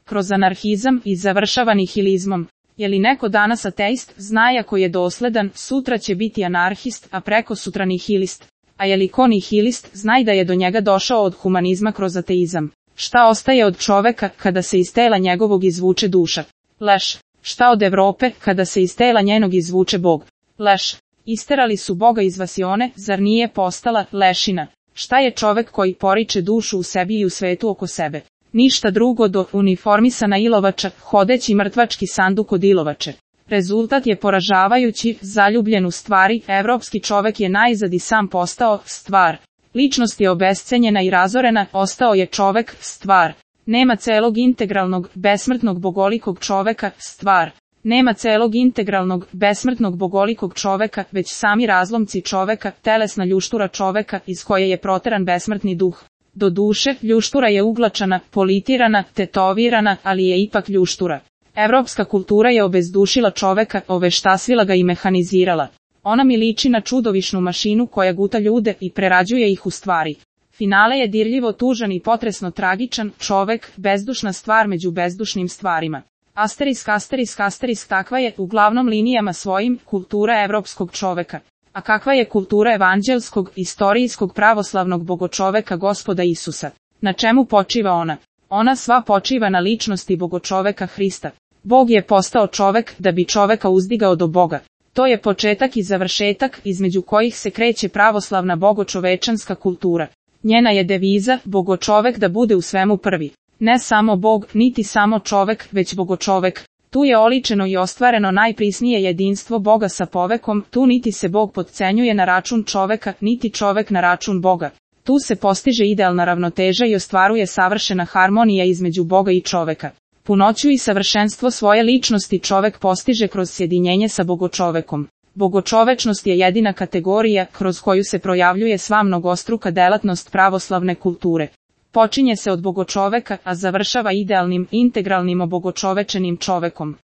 kroz anarhizam i završava nihilizmom. Je li neko danas ateist, zna ako je dosledan, sutra će biti anarhist, a preko sutra nihilist. A je li ko nihilist, znaj da je do njega došao od humanizma kroz ateizam. Šta ostaje od čoveka kada se iz tela njegovog izvuče duša? Leš. Šta od Evrope kada se iz tela njenog izvuče Bog? Leš. Isterali su Boga iz vasione, zar nije postala lešina? Šta je čovek koji poriče dušu u sebi i u svetu oko sebe? Ništa drugo do uniformisana ilovača, hodeći mrtvački sanduk od ilovače. Rezultat je poražavajući, zaljubljen u stvari, evropski čovek je najzad i sam postao stvar. Ličnost je obescenjena i razorena, ostao je čovek stvar. Nema celog integralnog, besmrtnog bogolikog čoveka, stvar. Nema celog integralnog, besmrtnog bogolikog čoveka, već sami razlomci čoveka, telesna ljuštura čoveka iz koje je proteran besmrtni duh. Do duše, ljuštura je uglačana, politirana, tetovirana, ali je ipak ljuštura. Evropska kultura je obezdušila čoveka, oveštasvila ga i mehanizirala. Ona mi liči na čudovišnu mašinu koja guta ljude i prerađuje ih u stvari. Finale je dirljivo tužan i potresno tragičan, čovek, bezdušna stvar među bezdušnim stvarima. Asterisk, takva je, uglavnom linijama svojim, kultura evropskog čoveka. A kakva je kultura evanđelskog, istorijskog pravoslavnog bogočoveka Gospoda Isusa? Na čemu počiva ona? Ona sva počiva na ličnosti bogočoveka Hrista. Bog je postao čovek da bi čoveka uzdigao do Boga. To je početak i završetak između kojih se kreće pravoslavna bogočovečanska kultura. Njena je deviza, bogočovek da bude u svemu prvi. Ne samo Bog, niti samo čovek, već bogočovek. Tu je oličeno i ostvareno najprisnije jedinstvo Boga sa povekom, tu niti se Bog potcenjuje na račun čoveka, niti čovek na račun Boga. Tu se postiže idealna ravnoteža i ostvaruje savršena harmonija između Boga i čoveka. Punoću i savršenstvo svoje ličnosti čovek postiže kroz sjedinjenje sa bogočovekom. Bogočovečnost je jedina kategorija kroz koju se projavljuje sva mnogostruka delatnost pravoslavne kulture. Počinje se od bogočoveka, a završava idealnim, integralnim obogočovečenim čovekom.